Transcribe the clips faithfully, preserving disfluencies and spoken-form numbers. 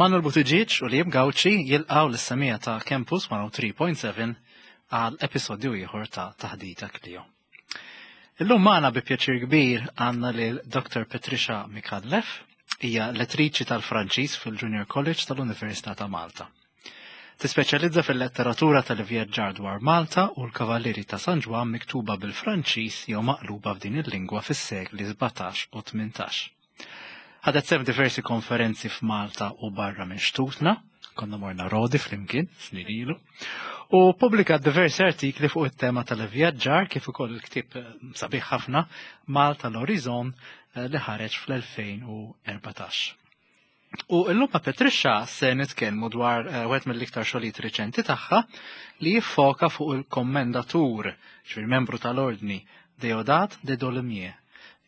Manuel Buttigieg u Liam Gauci jilqgħu lis-semmiegħa ta' Campus mija u tlieta punt seba' għal episodju ieħor ta' Taħdita Klio. Illum magħna bi pjaċir kbir għandna lil Doktor Patricia Micallef, hija lettriċi tal-Franċiż fil-Junior College tal-Università ta' Malta. Tispeċjalizza fil-letteratura tal-vjaġġar dwar Malta u l-Kavallieri ta' San Ġwann miktuba bil-Franċiż jew maqluba f'din il-lingwa fis-sekli sbatax u tmintax. Ħadet sehem diversi konferenzi f'Malta u barra minn xtutna, konna morna Rodi flimkien, snin ilu, u publikat diversi artikli fuq it-tema tal-vjaġġar kif ukoll il-ktieb eh, sabiħ ħafna Malta l-Horizon eh, li ħareġ fl-elfejn u erbatax. U illum ma' Patricia se nitkellmu dwar eh, wieħed mill-iktar xogħlijiet riċenti tagħha li jiffoka fuq il-kommendatur, ġifieri membru tal-ordni, Deodat de Dolomieu,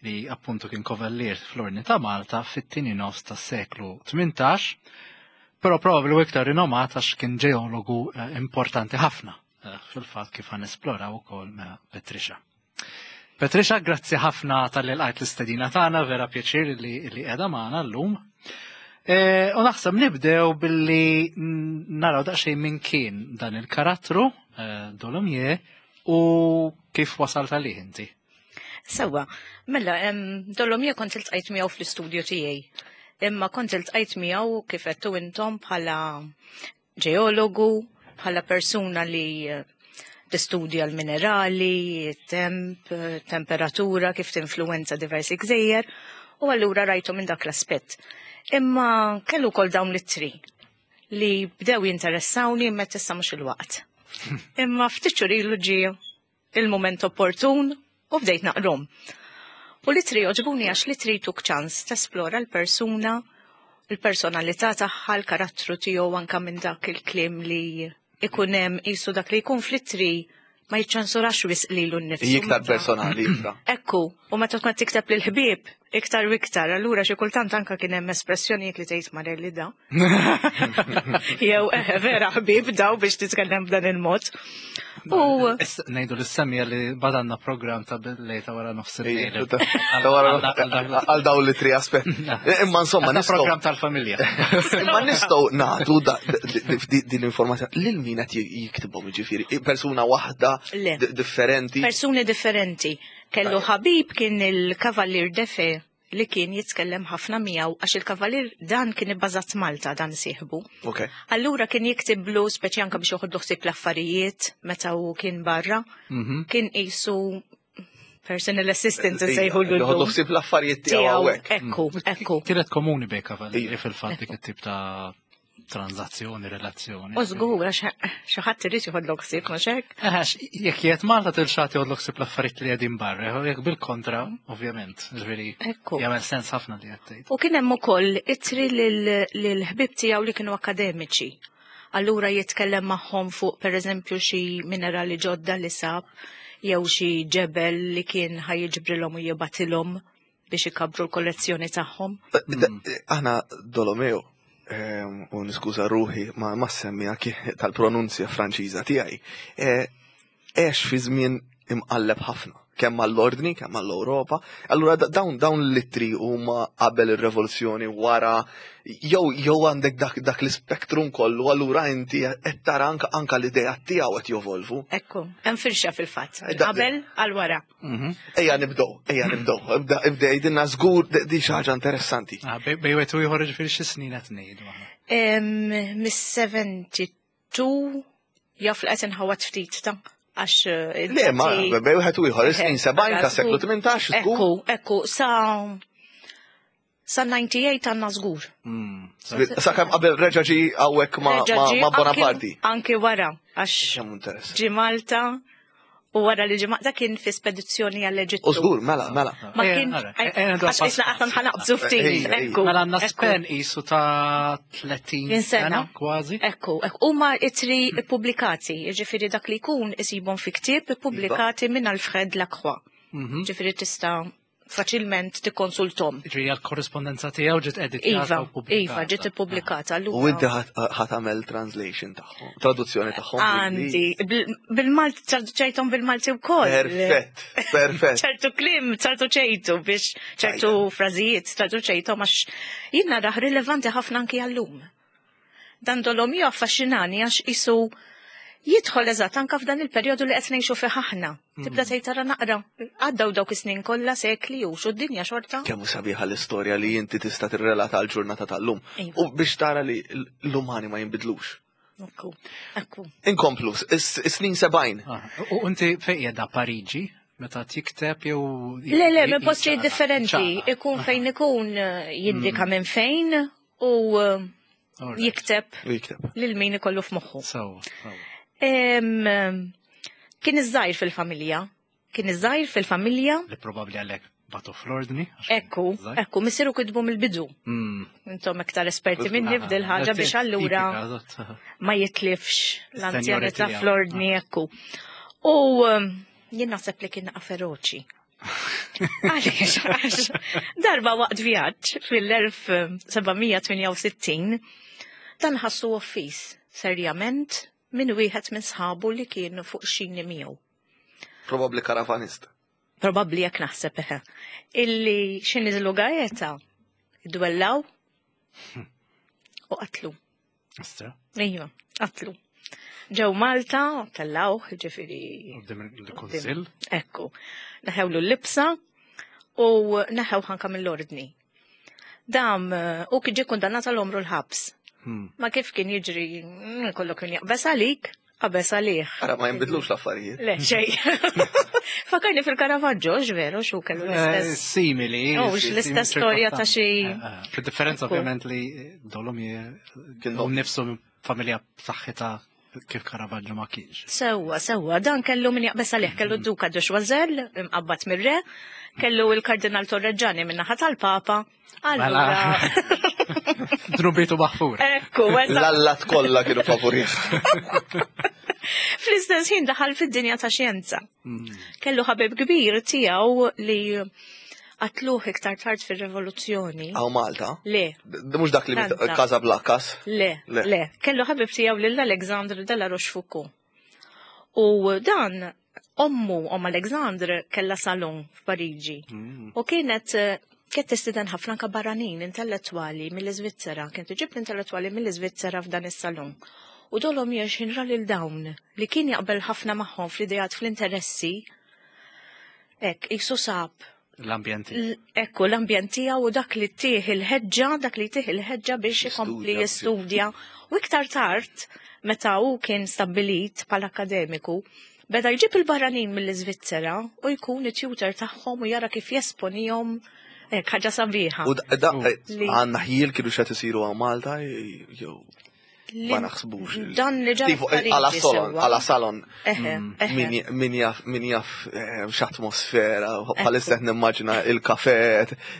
li appuntu kien kavallier fl-ordni ta' Malta fit-tieni nofs tas-seklu tmintax, però probabbli iktar rinomat għax kien ġeologu eh, importanti ħafna eh, fil-fatt kif ħa nesploraw ukoll ma' Patricia. Patricia, grazzi ħafna talli lqajt l-istedina tagħna, vera pjaċir li li qiegħda magħna llum. E, U naħseb nibdew billi naraw daqsxejn minn kien dan il-karattru eh, Dolomieu u kif wasalt għalih inti. Sewa, mela, em, Dolomieu kont iltqajt miegħu fl-istudju tiegħi. Imma kont iltqajt miegħu, kif għedtu intom, bħala ġeologu, bħala persuna li eh, tistudja l-minerali, temp, temperatura, kif tinfluwenza diversi gżejjer, u allura rajtu minn dak l-aspett. Imma kellu kol dawn l-ittri li bdew jinteressawni, imma issa mhux il-waqt. Imma ftit xhur ilu ġie il-moment opportun u bdejt naqrahom. U l-ittri għoġbuni għax l-ittri jtuk ċans tesplora l-persuna, il-personalità tagħha, l-karattru tiegħu, anka minn dak il-kliem li ikun hemm, qisu dak li jkun fl-ittri ma jiċċensurax wisq lilu nnifsu. Iktar personali, iva. Ekku, u meta tkun tikteb lil ħbieb iktar u iktar, allura xi kultant anka kien hemm espressjonijiet li tgħid marelli da. Jew eh, vera ħbieb daw biex titkellem b'dan il-mod. U Issa ngħidu lis-semmiegħa li badanna program ta' bil-lejta wara nofs il-lejl. Għal dawn li tri aspett. Imma insomma, Għandna nistgħu program tal-familja. Imma nistgħu nagħtu da- di- din l-informazzjoni lil min qed jiktibhom, jiġifieri persuna waħda Le. di- differenti? Persuni differenti. Kellu ħabib, kien il-Kavallier Defe, li kien jitkellem ħafna miegħu għax il-Kavallier dan kien ibbażat Malta, dan sieħbu. Ok. Allura kien jiktiblu, speċi anka biex joħodlu ħsieb l-affarijiet meta hu kien barra. Mhm. Kien qisu personal assistant sejħu l Joħodlu ħsieb l-affarijiet tiegħu hawnhekk. Ekku, ekku. Kienet komuni bejn kavallieri fil-fatt dik it-tip ta' tranzazzjoni, relazzjoni. U żgur, għax xi ħadd irid joħodlok ħsieb, mhux hekk? Għax, jekk qiegħed Malta tilxat joħodlok ħsieb l-affarijiet li qegħdin barra, jekk bil-kontra, ovvjament, ġifieri Ekku. jagħmel sens ħafna li qed tgħid. U kien hemm ukoll ittri lil ħbieb tiegħu li kienu akademiċi. Allura jitkellem magħhom fuq, pereżempju, xi minerali ġodda li sab jew xi ġebel li kien ħa jiġbrilhom u jibgħatilhom biex ikabru l-kollezzjoni tagħhom. Aħna Dolomeo, ehm, u niskuża ruħi ma ma semmija tal-pronunzja Franċiża tiegħi, eh, għex fi żmien imqalleb ħafna, kemm għall-ordni, kemm għall-Ewropa. Allura da- dawn dawn l-ittri huma qabel ir-revoluzzjoni, wara, jew jew għandek dak, dak l-spektrum kollu, allura inti qed tara anka anka l-idea tiegħu qed jovolvu. Ekku, hemm firxa fil-fatt. Eh, da- Qabel għal wara. Mhm. Ejja nibdew, ejja nibdew, ibda ibda jgħidilna żgur di xi ħaġa interessanti. Ah, Bej bejn wieħed u ieħor, ġifieri xi snin qed ngħidu aħna? Em, Mis-sebgħa u sebgħin jaf li qed inħawat ftit ta' għax eh, Le, ma id-dati- bejn wieħed u ieħor, is-snin sebgħin ta' seklu tmintax, żgur. Ekku, ekku, sa sa disgħa u disgħin għandna żgur. Mm. Sakemm qabel reġa' ġi hawnhekk ma' Reġa' ma' ġie ma' anki- Bonaparte. Anki wara, għax Kemm interessanti. ġi Malta u wara li ġi Malta kien fi spedizzjoni għall-Eġittu. U żgur, mela, mela. Ma Eh, kien, ara, eh, eh, għax isna għatan ħa naqbżu ftit, Ej, ej. ekku. Mela għandna ekku. span qisu ta' tletin Din sena. sena kważi. Ekku, ekku, huma ittri pubblikati, ġifieri dak li jkun isibhom fi ktieb pubblikati minn Alfred Lacroix. Mhm. Ġifieri tista' faċilment tikkonsultom. Ġifieri għal-korrespondenza tiegħu ġiet editjata Iva, u pubblikata. iva, ġiet ippubblikata. U inti ħa tagħmel translation tagħhom, traduzzjoni tagħhom? Għandi, bil- bil-Malti, traduċejtom bil-Malti wkoll. Perfett, perfett. ċertu kliem, traduċejtu biex ċertu frażijiet, traduċejtom għax jien narah rilevanti ħafna anki għallum. Dan Dolomio affaxxinani għax isu jidħol eżatt anka f'dan il-perjodu li qed ngħixu fih aħna. Tibda tgħid tara naqra, għaddew dawk is-snin kollha sekli u xu d-dinja xorta. Kemm hu sabiħa l-istorja li inti tista' tirrelata għal ġurnata tal-lum. Iva. U biex tara li l-umani ma jinbidlux. Ekku, ekku. Inkomplu, is-snin sebgħin. Ah, U inti fejn qiegħda Pariġi meta tikteb jew Le, le, minn postijiet differenti. Ikun fejn ikun eh, jindika minn fejn u eh, jikteb U jikteb. lil min ikollu f'moħħu. Sewwa, sewwa. Em, Kien iż-żgħir fil-familja. Kien iż-żgħir fil-familja. Li probabbli għalhekk bagħtu fl-ordni. għax kien Ekku, żgħir. ekku, missieru kitbu mill-bidu. Mm. Intom iktar esperti minni f'dil ħaġa biex allura Tipika, eżatt. ma jitlifx l-anzjanità Seniority, fl-ordni, ekku. U um, jien naħseb li kien feroċi. Għaliex, għax darba waqt vjaġġ fil-elf seba' mija tmienja u sittin dan ħassu offiż serjament minn wieħed minn sħabu li kienu fuq xini miegħu. Probabbli karavanista. Probabbli jekk naħseb eħe. Illi xi niżlu Gaeta, dwellaw u qatlu. Istra, Ejwa, qatlu. Ġew Malta, tellaw, ġifieri. Quddiem il-kunsill. Ekku, neħewlu l-libsa u neħew ħanka mill-ordni. Dam, eh, u kien ġie kundannat għal għomru l-ħabs. Hmm. Ma kif kien jiġri, mm, kollu kien jaqbes għalik, qabeż għalih. Ara ma jinbidlux l-affarijiet. Le, xej. Fakarni fil-Caravaggio, veru, xu kellu Eh, l-istess. Simili. Oh, l-istess storja ta' xi- Fil-differenza Ekku. ovvjament li Dolomie Kien u nifsu minn familja b'saħħitha kif Caravaggio ma kienx. Sewwa, sewwa, dan kellu min jaqbes għalih, kellu d-duka de Choiseul, imqabbat mir-re, kellu il-kardinal Torreggiani minn naħa tal-Papa. Allura, Dnubitu maħfur. ekku, eżatt. L-allat kollha kienu favorih. Fl-istess ħin daħal fid-dinja ta' xjenza. Mm. Kellu ħabib kbir tiegħu li qatluh iktar tard fir-rivoluzzjoni. Hawn Malta. Le, D- Mhux dak li mit- Franza. Casablancas. le, Le. le. Kellu ħabib tiegħu lil Alexandre de la Rochefoucauld. U dan ommu, om Alexandre, kella salon f'Pariġi. Mm. U kienet eh, kienet tistieden ħafna anka barranin intellettwali mill-Iżvizzera, kienet iġib l-intellettwali mill-Iżvizzera f'dan is-salon. U Dolomie x'ħin ra lil dawn li kien jaqbel ħafna magħhom fl-idejat fl-interessi, hekk jisu sab L-ambjenti. l- ekku l-ambjent tiegħu u dak li tih il-ħeġġa, dak li tih il-ħeġġa biex ikompli Jistudja. jistudja. U iktar tard, meta hu kien stabbilit bħala akademiku, beda jġib il-barranin mill-Iżvizzera u jkun it-tutor tagħhom u jara kif jesponihom hekk ħaġa sabiħa. U da- da- Li- għandna ħjiel kienu xed isiru hawn Malta jew Li- ma naħsbux. Dan li ġara Tipo, f'Pariġi għala salon, sewwa. għala salon. Eħe, eħe. Min min jaf, min jaf eh, x'atmosfera, bħalissa qed nimmaġina il-kafe,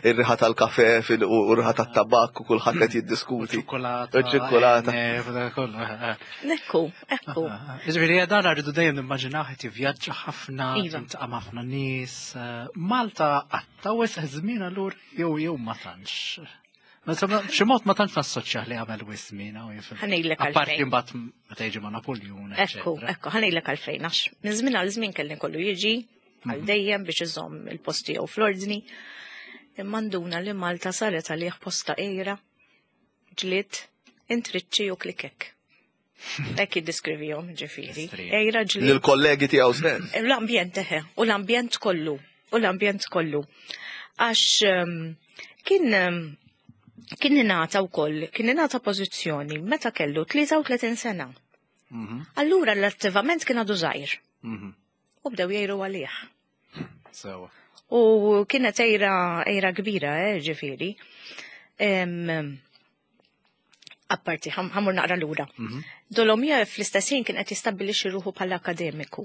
ir-riħa tal-kafe fil- u r-riħa tat-tabakk u kulħadd qed jiddiskuti. Ċokolata. U ċokolata. eh, dak kollu, eh, eh. Ekku, ekku. Ġifieri, dan rridu dejjem nimmaġinaw qed jivvjaġġa ħafna, Iva. jiltaqa' ma' ħafna nies. eh, Malta qatta wisq żmien allura jew jew ma tantx. Ma insomma, B'xi mod ma tantx nassoċjah li għamel wisq żmien hawn jifhem. Ħa ngħidlek Apparti għalfejn. mbagħad meta jiġi ma' Napoleon, Ekku, eċċetera. ekku, ħa ngħidlek għalfejn, għax minn żmien għal żmien kelli kollu jiġi għal dejjem biex iżomm il-post tiegħu fl-ordni. Imma nduna li Malta saret għalih posta ejra, ġlied, intriċċi u klikek. Hekk jiddiskrivihom ġifieri. Estri. Ejra ġlied. Lill-kollegi tiegħu stess. L-ambjent eħe, u l-ambjent kollu, u l-ambjent kollu. Għax ehm, kien ehm, kien ingħata wkoll, kien ingħata pożizzjoni meta kellu tlieta u tletin sena. Mhm, Allura l-attivament kien għadu żgħir mhm. u bdew jgħiru għalih. Sewwa. U kienet ejra, ejra kbira, eh, ġifieri. Em, Apparti, ħa mmur naqra lura. Mhm. Dolomie fl-istess ħin kien qed jistabbilixxi ruħu bħala akademiku.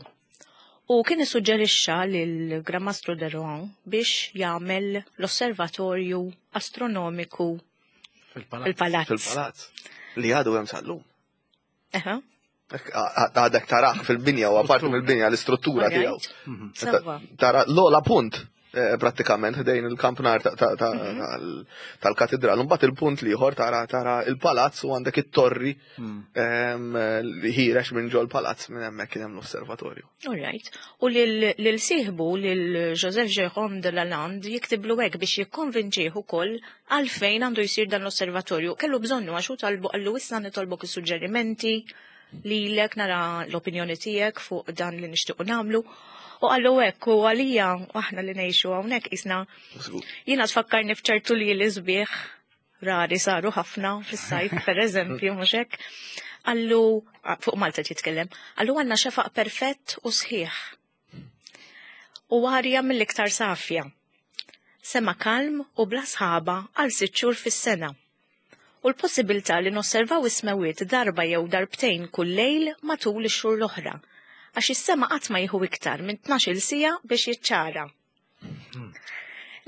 U kien issuġġerixxa lil Gran Mastru de Rohan biex jagħmel l-osservatorju astronomiku Fil-palazz. fil-palazz. Fil-palazz. Li għadu hemm sal-lum. Eħe, Għadek taraħ fil-binja u apparti mill-binja l-istruttura tiegħu. alright. Sewwa. Tara l-ola punt. eh, prattikament ħdejn il-kampnar ta- ta- ta- tal- tal-katedral. Mbagħad il-punt l-ieħor tara tara il-palazz u għandek it-torri em, li ħiereġ minn ġol palazz minn hemmhekk kien hemm l-osservatorju. All right. U lil lil sieħbu lil Joseph Jérôme de Lalande jiktiblu hekk biex jikkonvinċih ukoll għalfejn għandu jsir dan l-osservatorju. Kellu bżonnu għax hu talbu qallu issa nitolbok is-suġġerimenti lilek nara l-opinjoni tiegħek fuq dan li nixtiequ nagħmlu. U qallu hekk u għalija aħna li ngħixu hawnhekk isna Żgur. jiena tfakkarni f'ċertu li l-isbieħ rari saru ħafna fis-sajf, per eżempju, mhux hekk. Qallu, fuq Malta jitkellem, qallu għandna xefaq perfett u sħiħ. U arja mill-iktar safja. Sema kalm u bla sħaba għal sitt xhur fis-sena. U l-possibilità li nosservaw is-smewiet darba jew darbtejn kull lejl matul ix-xhur l-oħra. Għax is-sema qatt ma jieħu iktar minn tnax-il siegħa biex jiċċara.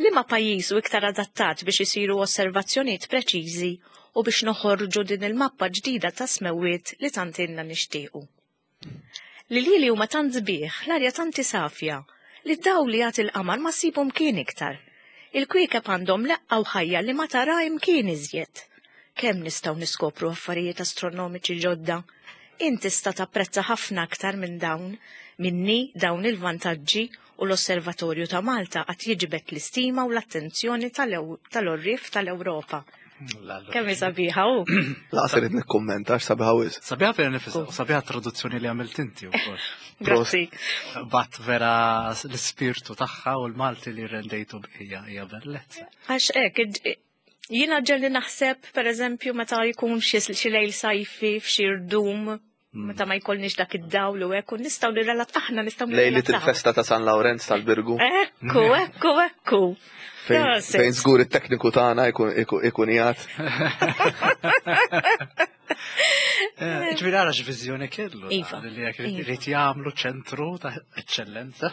Liema pajjiż hu iktar adattat biex isiru osservazzjonijiet preċiżi u biex noħorġu din il-mappa ġdida ta' smewiet li tant ilna nixtiequ. L-iljieli huma tant sbieħ, l-arja tant safja, li d-dawl li jagħti il-qamar ma ssibu mkien iktar. Il-kwiekeb għandhom leqqa u ħajja li ma tara imkien iżjed. Kemm nistgħu niskopru affarijiet astronomiċi ġodda? Int tista' tapprezza ħafna aktar minn dawn, minni dawn il-vantaġġi u l-Osservatorju ta' Malta qatt jiġbed l-istima u l-attenzjoni tal-għorrief tal-Ewropa. Kemm hi sabiħa u? Lanqas irrid nikkummenta għax sabiħa wisq. Sabiħa vera nifisha, u sabiħa traduzzjoni li għamilt inti wkoll. Grazzi. Bat vera l-ispirtu tagħha u l-Malti li rendejtu hija hija bellezza. Għax hekk, jiena ġieli naħseb, per eżempju, meta jkun xi lejl sajfi f'xi rdum, meta ma jkollniex dak id-dawl u hekk, u nistgħu nirrelat aħna nistgħu Lejlit il-festa ta' San Lawrenz tal-Birgu. Ekku, ekku, ekku. Fejn żgur it-tekniku tagħna ikun qiegħed. Ġifieri ara x'viżjoni kellu. Iva. Li jekk irid jagħmlu ċentru ta' eċċellenza.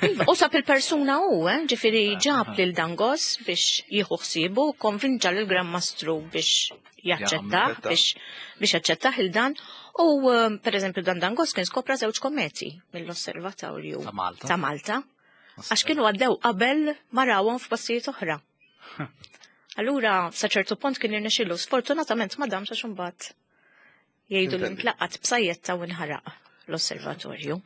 Iva, u sab il-persuna u, eh, ġifieri ġab lil Dangos biex jieħu ħsiebu, konvinċa lil Gran Mastru biex jaċċettah, biex biex jaċċettah il-dan. U per eżempju dan Dangos kien skopra żewġ kometi mill-osservatorju Ta' Malta. Ta' Malta. Għax kienu għaddew qabel ma rawhom f'postijiet oħra. Allura, sa ċertu punt kien irnexxielu, sfortunatament ma damx għax imbagħad jgħidu li ntlaqat b'sajjetta u nħaraq l-osservatorju.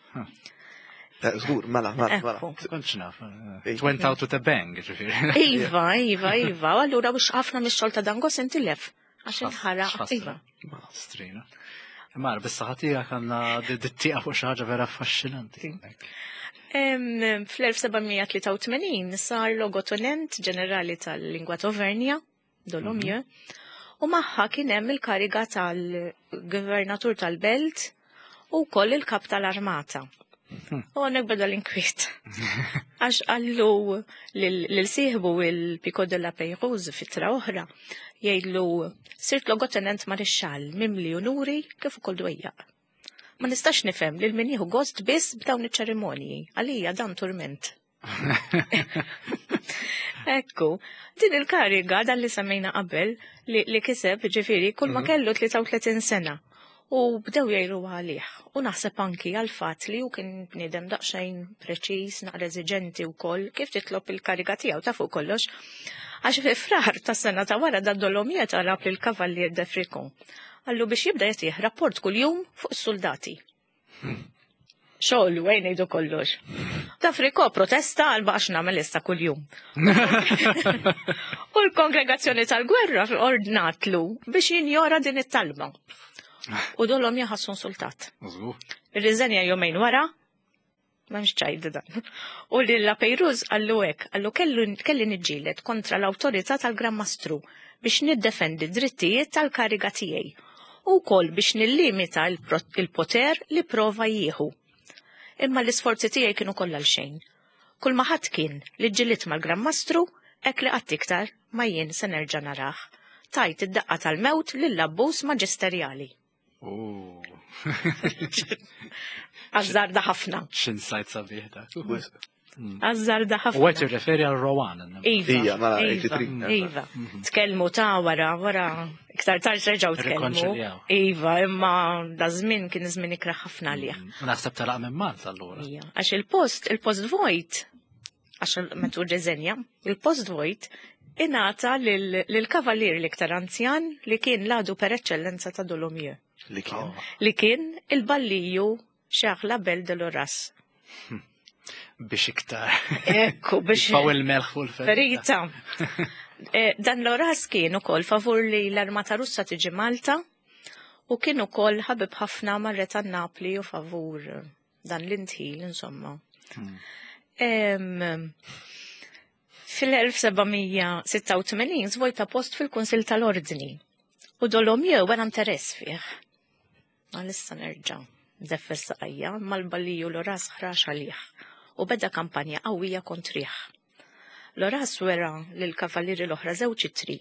Żgur, mela, mela, mela. Kontx naf. It went out with a bang, ġifieri. Iva, iva, iva. Allura biex ħafna mix-xogħol ta' Dangos intilef. Għax inħaraq. Iva. Strina. Imma bis-saħħa tiegħek għandna dit-tieqa fuq xi ħaġa vera affaxxinanti. Fl-elf seba' mija tlieta u tmenin sar logotenent ġenerali tal-lingwa Tovernja, Dolomieu, u magħha kien hemm il-kariga tal-gvernatur tal-belt u wkoll il-kap tal-armata. U hawnhekk beda l-inkwiet. Għax qallu lil sieħbu il-Picot de la Peyrouse f'ittra oħra, jgħidlu sirt logotenent marixxall mimli unuri kif ukoll dwejjaq. Ma nistax nifhem lil min jieħu gost biss b'dawn iċ-ċerimonji, għalija dan turment. Ekku, din il-kariga dan li semmejna qabel li, li kiseb ġifieri kull ma kellu tlieta u tletin sena. U bdew jgħiru għalih. U naħseb anki għal fatt li hu kien bniedem daqsxejn preċiż, naqra eżiġenti wkoll, kif titlob il-kariga tiegħu ta' fuq kollox. Għax fi Frar tas-sena ta' wara da Dolomieu talab lil Kavallier de Fricon. Qallu biex jibda jagħtih rapport kuljum fuq is-soldati. Xogħol, wejn ngħidu kollox. Ta' Fricot protesta għal baqax nagħmel issa kuljum. U l-kongregazzjoni tal-gwerra ordnatlu biex jinjora din it-talba. U Dolomieu ħassu insultat. Irriżenja jumejn wara, m'hemmx ċajt dan. U li la Peyrouse qallu hekk, qallu kellu kelli niġġieled kontra l-awtorità tal-Gran Mastru biex niddefendi drittijiet tal-kariga tiegħi u wkoll biex nillimita il-poter li prova jieħu. Imma l-isforzi tiegħi kienu kollha għal xejn. Kull ma ħadd kien li ġġilidt mal-Gran Mastru, hekk li qatt iktar ma jien se nerġa' narah. Tajt id-daqqa tal-mewt lill-abbuż maġisterjali. Azzarda ħafna. X'insight sabiħ dak. Azzarda ħafna. U qed jirreferi għal Rohan. Iva. Ija, mela, Iva, tmenin u tletin. Iva. Tkellmu ta' wara, wara, iktar tard reġgħu tkellmu. Irrikonċiljaw. Iva, imma da żmien kien żmien ikrah ħafna għalih. U naħseb telaq minn Malta allura. Ija, għax il-post, il-post vojt, għax meta rriżenja, il-post vojt ingħata lill-kavalier l-iktar anzjan li kien l-għadu per eċċellenza ta' Dolomieu. Li kien. Li kien il-balliju Charles Labelle de Loras. Biex iktar. Ekku, biex. Faw il-melħ u l-ferita. Ferita. Eh, Dan Loras kien ukoll favur li l-Armata Russa tiġi Malta u kien ukoll ħabib ħafna mar-re ta' Napli u favur dan l-indħil, insomma. Em, Fil-elf seba' mija sitta u tmenin zvojta post fil-Kunsil tal-Ordni u Dolomieu wera interess fih. Għalissa nerġa' ndeffel saqajja mal-balliju Loras ħrax għalih u beda kampanja qawwija kontrih. Loras wera lil kavallieri l-oħra żewġ ittri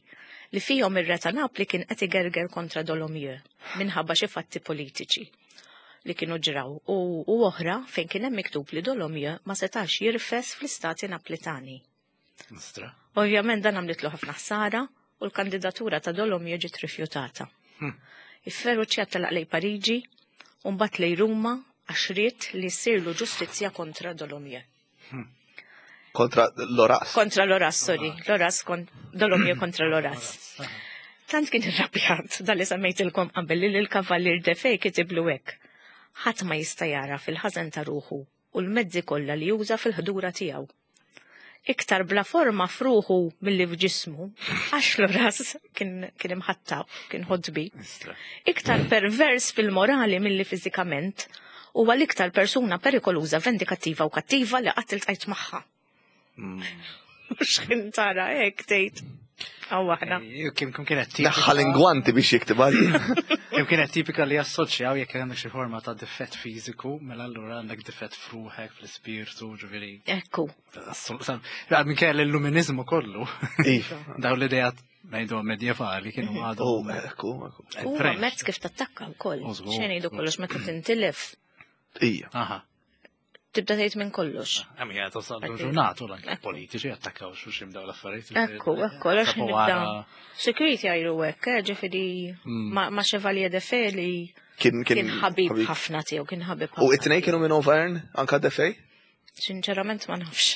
li fihom ir-re ta' Napli kien qed igerger kontra Dolomieu minħabba xi fatti politiċi li kienu ġraw u, u oħra fejn kien hemm miktub li Dolomieu ma setax jirfes fl-istati Naplitani. Nistra. Ovvjament dan għamlitlu ħafna ħsara u l-kandidatura ta' Dolomieu ġiet rifjutata. Ifferuċjat telaq lej Pariġi u mbagħad lej Ruma għax ried li ssirlu ġustizzja kontra Dolomieu. Kontra Loras. Kontra Loras, sorry. Loras kon Dolomieu kontra Loras. Tant kien irrabjat dal li semmejtilkom qabel li l-kavallier Defej kitiblu hekk. Ħadd ma jista' jara fil-ħażen ta' ruħu u l-mezzi kollha li juża fil-ħdura tiegħu. Iktar bla forma f'ruħu milli f'ġismu, għax Loras kien kien imħattab, kien ħodbi. Nistra. Iktar pervers fil-morali milli fiżikament, huwa l-iktar persuna perikoluża, vendikattiva u kattiva li qatt iltqajt magħha. Mhux tara hekk tgħid. Aw aħna. Kim kim kienet tipika. Neħħa l-ingwanti biex jiktib għalli. Kim kienet tipika li jassoċjaw jekk għandek xi forma ta' difett fiżiku, mela allura għandek difett f'ruħek, fl-ispirtu, ġifieri. Ekku. Minn kien l-illuminizmu kollu. Iva. Daw l-idejat ngħidu medjevali kienu Oh, għadhom. ekku, ekku. Huwa French. mezz kif tattakka wkoll. U żgur. Xejn ngħidu kollox meta tintilef Ija. Aha. Tibda tgħid minn kollox. Għam jgħat tasal ġurnatu l-anke politiċi attakkaw xuxim daw l-affarijiet. Ekku, ekku, għax Sabu nibda. wara- Security għajru hekk, eh, ġifieri ma ma Chevalier Defay li Kien kien ħabib ħafna tiegħu, kien ħabib U ħafna. it-tnejn kienu minn Auvergne, anka Defej? Sinċerament ma nafx.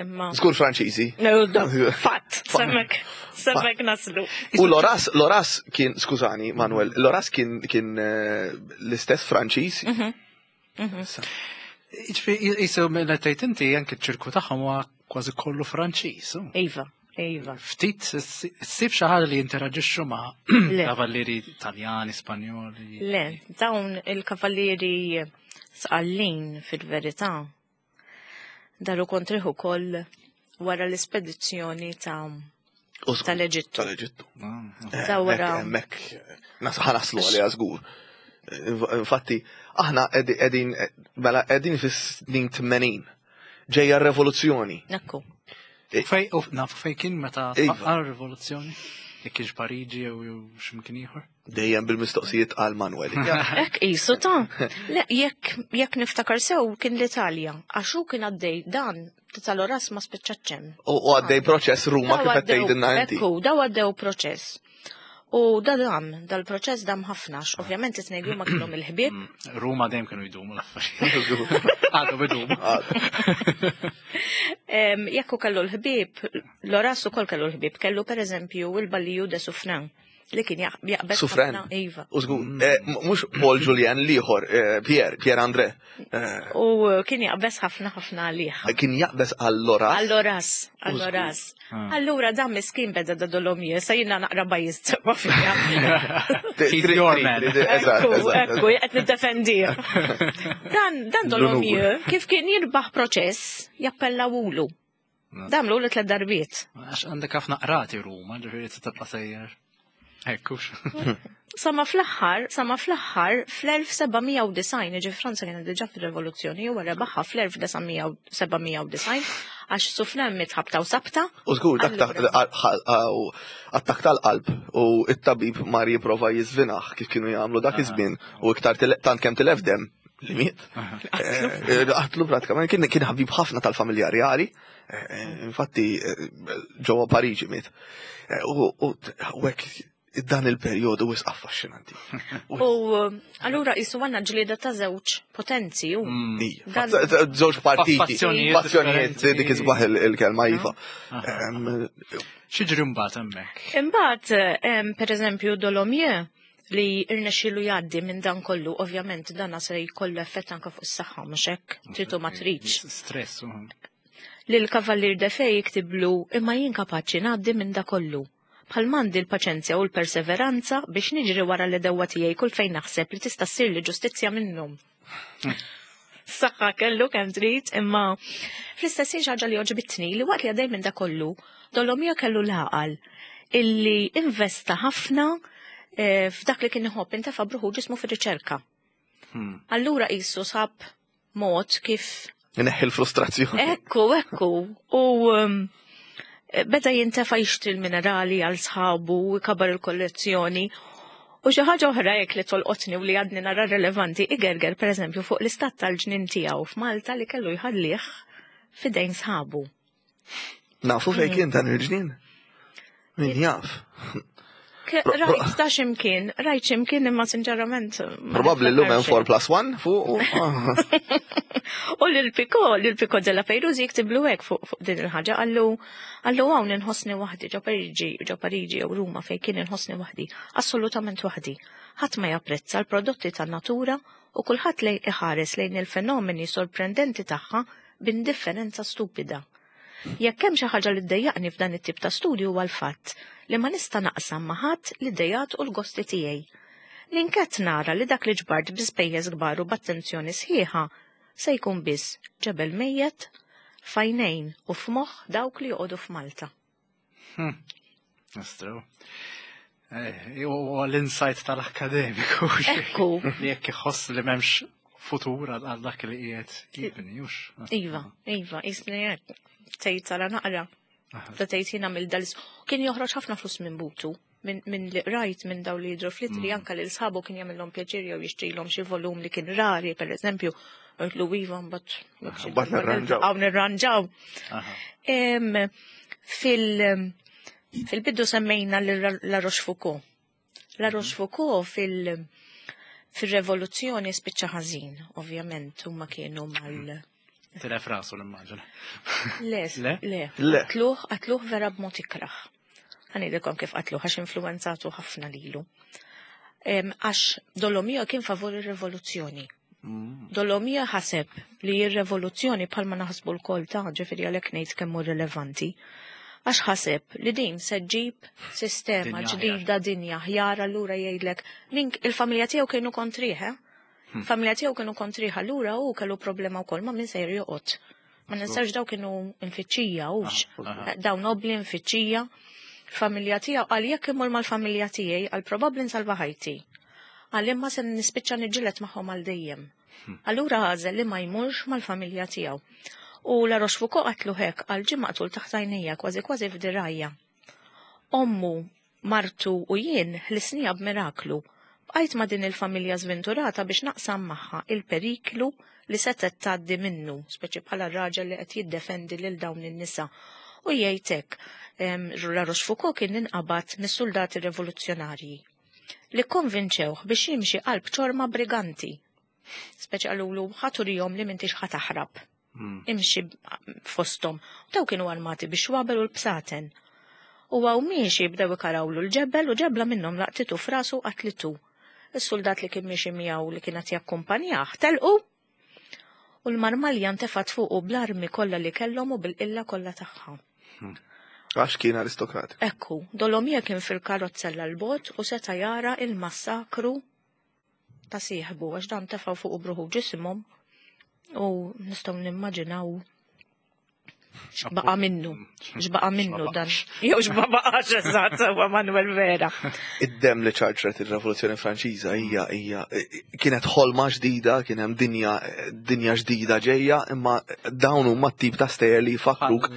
Imma. Żgur Franċiżi. No, no, fatt, semmek, semmek naslu. U Loras, Loras kien, skużani, Manuel, Loras kien kien eh, l-istess Franċiż. Ġifieri, jisu mela tgħid inti anke ċ-ċirku tagħhom huwa kważi kollu Franċiż. u. Iva, iva. Ftit ssib xi ħaġa li jinteraġixxu ma' Le. kavallieri Italjani, Spanjoli. Le, dawn il-kavallieri Sqallin fil-verità daru kontrih ukoll wara l-ispedizzjoni ta' U żgur, tal-Eġittu. Tal-Eġittu. Ah, Ta' wara. Hemmhekk, nas ħanaslu għalija żgur. Infatti, aħna qegħdin mela qegħdin fis-snin tmenin. Ġejja r-revoluzzjoni. Ekku. Fej, u nafu fej kien meta Iva. tfaqqa r-rivoluzzjoni? Jekk kienx Pariġi jew jew x'imkien ieħor? Dejjem bil-mistoqsijiet għal Manuel. Ek isu ta' le, jekk jekk niftakar sew kien l-Italja, għax hu kien għaddej dan tal-Oras ma spiċċaċċem. U u għaddej proċess Ruma kif qed tgħidilna inti. Ekku, daw għaddew proċess. U da dam, dal-proċess dam ħafna, għax ovvjament it-tnejn li huma kienu il-ħbieb, Ruma dejjem kienu jdumu l-affarijiet. Għadu idumu. Em, Jekk hu kellu l-ħbieb, Loras ukoll kellu l-ħbieb, kellu per eżempju il-Balliju de Suffren li kien jaq- jaqbel Suffren. ħafna- Iva. U żgur, eh, m- mhux Paul Julien l-ieħor, eh, Pierre, Pierre André. Eh, U kien jaqbeż ħafna ħafna għalih. Kien jaqbeż għal Loras. Għall-Oras, għall-Oras. Allura dan miskin beda da Dolomieu, sa jina naqra bajist ma fija. He's your man. Eżatt, Ekku, eżatt. ekku, qed niddefendi. Dan, dan Dolomieu, kif kien jirbaħ proċess, jappellawulu. Damlu li tlet darbiet. Għax għandek ħafna qrati Ruma, ġifieri tibqa' sejjer. Ekkux. Sama fl-aħħar, sama fl-aħħar, fl-elf seba' mija u disgħin, ġi Franza kienet diġà fil-rivoluzzjoni, u rebaħha fl-elf seba' mija u disgħin, għax Suffren miet ħabta u sabta. U żgur, dak ta' Allura- attak tal-qalb u it-tabib mar jipprova jiżvinaħ kif kienu jagħmlu dak iż-żmien u iktar tile- tant kemm tilef dem li miet. Eh, Qatlu pratikament kien kien ħabib ħafna tal-familja reali, eh, infatti eh, ġewwa Pariġi miet. Eh, U u hekk Dan il-perjodu wisq affaxxinanti. U allura qisu għandna ġlieda ta' żewġ potenzi u. Ija, żewġ partiti. Fazzjonijiet Fazzjonijiet, differenti. Dik isbaħ il- il-kelma, iva. Em, X'jiġri mbagħad hemmhekk? Imbagħad, em, per eżempju, Dolomieu li irnexxielu jgħaddi minn dan kollu, ovvjament dana se jkollu effett anke fuq is-saħħa, mhux hekk, trid u ma tridx. Stress. u- Li l-Kavallier d'Effay jiktiblu: "Imma jien kapaċi ngħaddi minn da kollu. Bħal m'għandi l-paċenzja u l-perseveranza biex niġri wara l-għedewwa tiegħi kull fejn naħseb li tista' ssir li ġustizzja minnhom." Saħħa kellu kemm trid, imma fl-istess ħin xi ħaġa li għoġbitni li waqt li għaddej minn da kollu, Dolomieu kellu l-għaqal illi investa ħafna eh, f'dak li kien iħobb, intefa' b'ruħu ġismu fir-riċerka. Hmm. Allura qisu sab mod kif Neħħi l-frustrazzjoni. Ekku, ekku. U um, beda jintefa' jixtri l-minerali għal sħabu, kabar il-kollezzjoni. U xi ħaġa oħra jekk li tolqotni u li għadni nara relevanti, igerger pereżempju fuq l-istat tal-ġnien tiegħu f'Malta li kellu jħallih f'idejn sħabu. Nafu fejn kien dan il-ġnien? Min jaf? Ke- Pro- pro- Rajt ta' ximkien, rajt ximkien imma sinċerament ma Probabli l-lum hemm niftakarx. four plus one fuq. u- U l-Picot, l-Picot de la Peyrouse jiktiblu hekk fuq fuq din il-ħaġa, qallu qallu hawn inħossni waħdi ġo Pariġi, ġo Pariġi jew Ruma fejn kien, inħossni waħdi, assolutament waħdi. Ħadd ma japprezza l-prodotti tan-natura u kulħadd lej iħares lejn il-fenomeni sorprendenti tagħha b'indifferenza stupida. Jekk hemm xi ħaġa li ddejjaqni f'dan it-tip ta' studju huwa l-fatt li ma nista' naqsam ma' ħadd l-idejat u l-gosti tiegħi. L-inkett nara li dak li ġbart bi spejjeż kbar u b'attenzjoni sħiħa se jkun biss ġebel mejjet f'għajnejn u f'moħħ dawk li joqogħdu f'Malta. Nistru. Eh, U l-insight tal-akademiku. Ekku. Li jekk iħoss li m'hemmx futur għal għal dak li qiegħed jibni, hux. Iva, iva, jisni hekk. Tgħid tara naqra. Ta' tgħid jiena mill dal kien joħroġ ħafna flus minn butu. Minn min li rajt minn daw li jidru fl-ittri, anka lil sħabu kien jagħmilhom pjaċir jew jixtrilhom xi volum li kien rari, pereżempju, għidlu iva, mbagħad Mbagħad nirranġaw. Hawn nirranġaw. Aha. Em, Fil- Fil-bidu semmejna l- La Rochefoucauld. La Rochefoucauld fil- fil-revoluzzjoni spiċċa ħażin, ovvjament, huma kienu mal. Tilef rasu l-immaġina. Le, Le? le. Le. Qatluh, qatluh vera b'mod ikraħ. Ħa ngħidilkom kif qatluh, għax influenzatu ħafna lilu. Em, Għax Dolomieu kien favur ir-rivoluzzjoni. Dolomieu ħaseb li r-rivoluzzjoni, bħalma naħsbu lkoll ta' ġifieri għalhekk ngħid kemm hu rilevanti. Għax ħaseb li din se ġġib sistema Dinja ġdida, dinja ħjar, allura jgħidlek minn il-familja tiegħu kienu kontrih, eh? Familja tiegħu kienu kontrih, allura hu kellu problema wkoll ma' min sejr joqgħod. Ma ninsawx daw kienu mfittxija hux. Daw nobli mfittxija. Familja tiegħu qal: "Jekk imur mal-familja tiegħi, għal probabbli nsalva ħajti. Għal imma se nispiċċa niġġieled magħhom għal dejjem." Allura għażel li ma jmurx mal-familja tiegħu. U La Rochefoucauld qatlu hekk, għal ġie maqtul taħt għajnejja, kważi kważi f'dirajja. "Ommu, martu u jien ħlisnieha b'miraklu. Bqajt ma' din il-familja sventurata biex naqsam magħha il-periklu li setet tgħaddi minnu, speċi bħala raġel li qed jiddefendi lil dawn in-nisa." U jgħidlek, em, La Rochefoucauld kien inqabad mis-soldati rivoluzzjonarji li konvinċewh biex jimxi qalb ċorma briganti. Speċi qalulu: "Ħa turihom li m'intix ħa taħrab. Imxi fostom." Daw kienu armati biex xwabel u l-bsaten. U għaw miexi bdew ikarawlu l-ġebel u ġebla minnhom laqtitu f'rasu, qatlitu. Is-soldat li kien miexi miegħu li kienet jakkumpanjah telqu u l-marmalja ntefat fuqu bl-armi kollha li kellhom u bil-qilla kollha tagħha. Għax kien aristokratiku. Ekku, Dolomieu kien fil-karozzella l-bot u seta jara il-massakru ta' sieħbu għax dan tefaw fuq b'ruħu ġisimhom u nistgħu nimmaġinaw x'baqa' minnu, x'baqa' minnu dan. Jew x'ma baqax, eżatt, huwa Manuel vera. Id-dem li ċarċret il-Revoluzzjoni Franċiża hija hija kienet ħolma ġdida, kien hemm dinja dinja ġdida ġejja, imma dawn huma t-tip ta' stejjer li jfakkruk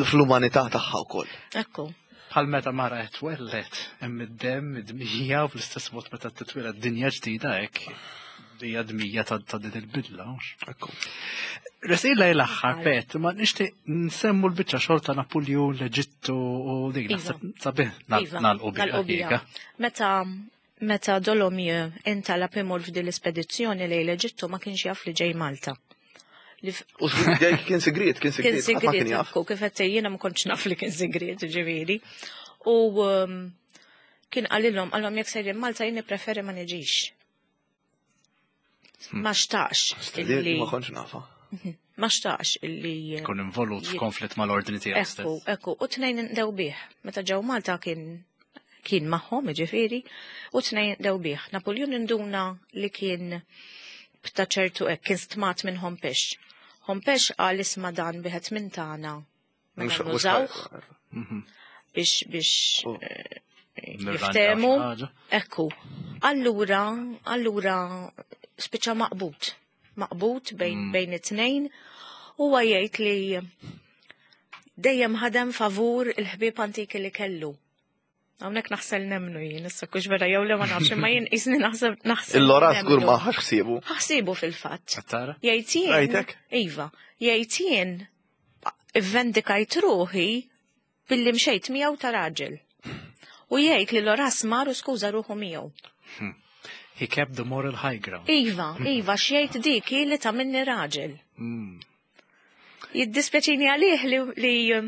fl-umanità tagħha wkoll. Ekku. Bħal meta mara qed twelled, hemm id-dem, id-dmija, u fl-istess mod meta titwieled dinja ġdida hekk. Hija dmija ta' ta' din il-bidla, mhux? Ekku. Resqin l-aħħar, Pet, ma nixtieq nsemmu l-biċċa xogħol ta' Napoleon, l-Eġittu u dik Iva. naħseb sabiħ Iva, nagħlqu biha. nagħlqu biha. Meta meta Dolomieu intalab imur f'din l-ispedizzjoni lejn l-Eġittu, ma kienx jaf li ġej Malta. Li f- U żgur, kien sigriet, kien Kien sigriet, ħadd ma kien sigriet, jaf. ekku, kif qed jiena ma kontx naf li kien sigriet, ġifieri. U um, kien qalilhom, qalhom jekk sejrin Malta jien preferi ma niġix. Ma xtaqx illi Ma kontx nafa. Ma xtaqx illi Kun involut f'konflitt mal-ordni tiegħu Ekku, stess. Ekku, u tnejn dew bih. Meta ġew Malta kien kien magħhom, ġifieri, u tnejn dew bih. Napoleon induna li kien bta ċertu hekk, kien stmat minn Hompesch. Hompesch qal, "Isma', dan wieħed minn tagħna. Mela Mhux- mhux- nużawh biex biex Oh. eh, Nirranġaw jiftehmu." xi ħaġa. Ekku. Allura, allura spiċċa maqbud. Maqbud bejn, mm. bejn it-tnejn. Huwa jgħid li dejjem ħadem favur il-ħbieb antiki li kellu. Hawnhekk naħsel nemnu jien, issa kux vera jew le ma nafx, imma jien isni naħseb naħseb. Il-Lora żgur nemnu. ma ħax ħsiebu. Ħsibu fil-fatt. Tara? Jgħid jien. Rajtek? Iva, jgħid jien ivvendikajt ruħi billi mxejt miegħu ta' raġel. U jgħid li Loras mar u skuża ruħu miegħu. He kept the moral high ground. Iva, iva, x'jgħid, dik hi li ta' minni raġel. Mm. Jiddispjaċini għalih li, li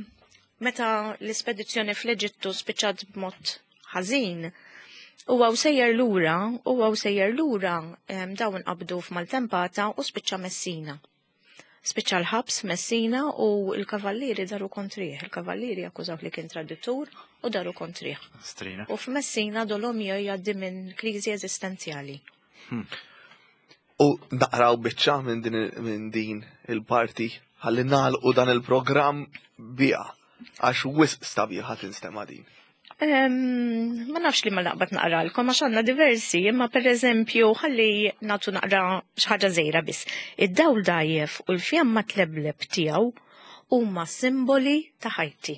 meta l-ispedizzjoni fl-Eġittu spiċċat b'mod ħażin, u għaw sejjer lura, u għaw sejjer lura, em, dawn qabdu f'maltempata u spiċċa Messina. Spiċċa l-ħabs Messina u l-kavallieri daru kontrih. Il-kavallieri akkużaw li kien traditur u daru kontrih. Strina. U f'Messina Dolomieu jgħaddi minn kriżi eżistenzjali. U naqraw biċċa minn din minn din il-parti ħalli nagħlqu dan il-programm biha, għax wisq sabiħa tinstema' din. Em, ma nafx li ma naqbad naqralkom għax għandna diversi, imma per eżempju ħalli nagħtu naqra xi ħaġa żgħira biss. Id-dawl dajjef u l-fjamma tlebleb tiegħu huma simboli ta' ħajti.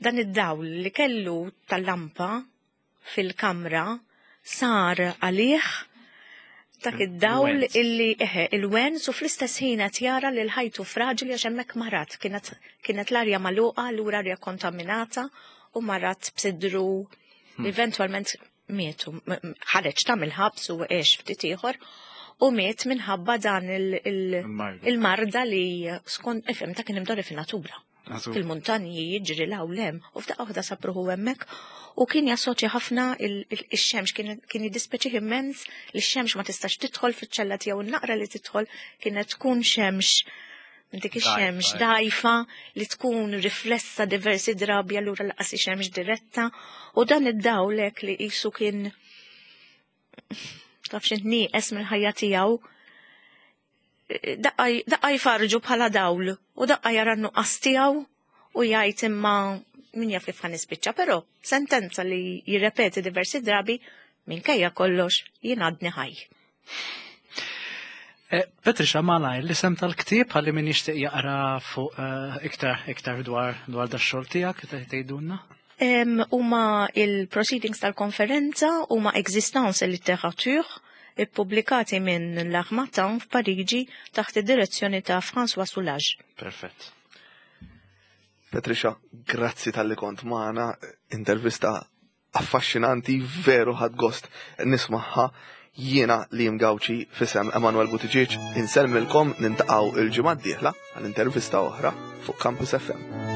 Dan id-dawl li kellu tal-lampa fil-kamra sar għalih dak id-dawl Il-wens. illi eħe il-wens, u fl-istess ħin qed jara li l-ħajtu fraġili għax hemmhekk marat, kienet kienet l-arja magħluqa, allura arja kontaminata, u marat b'sidru, eventualment mietu, m- m- ħareġ ta' mill-ħabs u għex ftit ieħor u miet minħabba dan il- il- Il-marda. il-marda li skont ifhem ta' kien imdorri fin-natura, Għazu. fil-muntanji jiġri 'l hawn 'l hemm, u f'daqqa waħda sab ruħu hemmhekk u kien jassoċja ħafna il- il- ix-xemx, kien kien jiddispjaċih immens li x-xemx ma tistax tidħol fiċ-ċella tiegħu, naqra li tidħol kienet tkun xemx minn dik ix-xemx Dajfa, dajfa li tkun riflessa diversi drabi, allura lanqas xemx diretta, u dan id-dawlek li qisu kien taf x'int nieqes mill-ħajja tiegħu, daqqa daqqa jfarġu bħala dawl u daqqa jara n-nuqqas tiegħu u jgħid, imma min jaf kif ħa nispiċċa, però sentenza li jirrepeti diversi drabi, minkejja kollox jien għadni ħaj. Eh, Patricia, malajr, l-isem tal-ktieb ħalli min jixtieq jaqra fuq eh, iktar iktar dwar dwar dax-xogħol tiegħek tgħidulna? Em, Huma il-proceedings tal-konferenza, huma Existence et Littérature, ippubblikati minn L'Harmattan f'Pariġi taħt id-direzzjoni ta' François Soulages. Perfett. Patricia, grazzi talli kont magħna, intervista affaxxinanti, veru ħadt gost nismagħha. Jiena Liam Gauci f'isem Emanuel Buttigieg insellmilkom, niltaqgħu il-ġimgħa d-dieħla għal intervista oħra fuq Campus F M.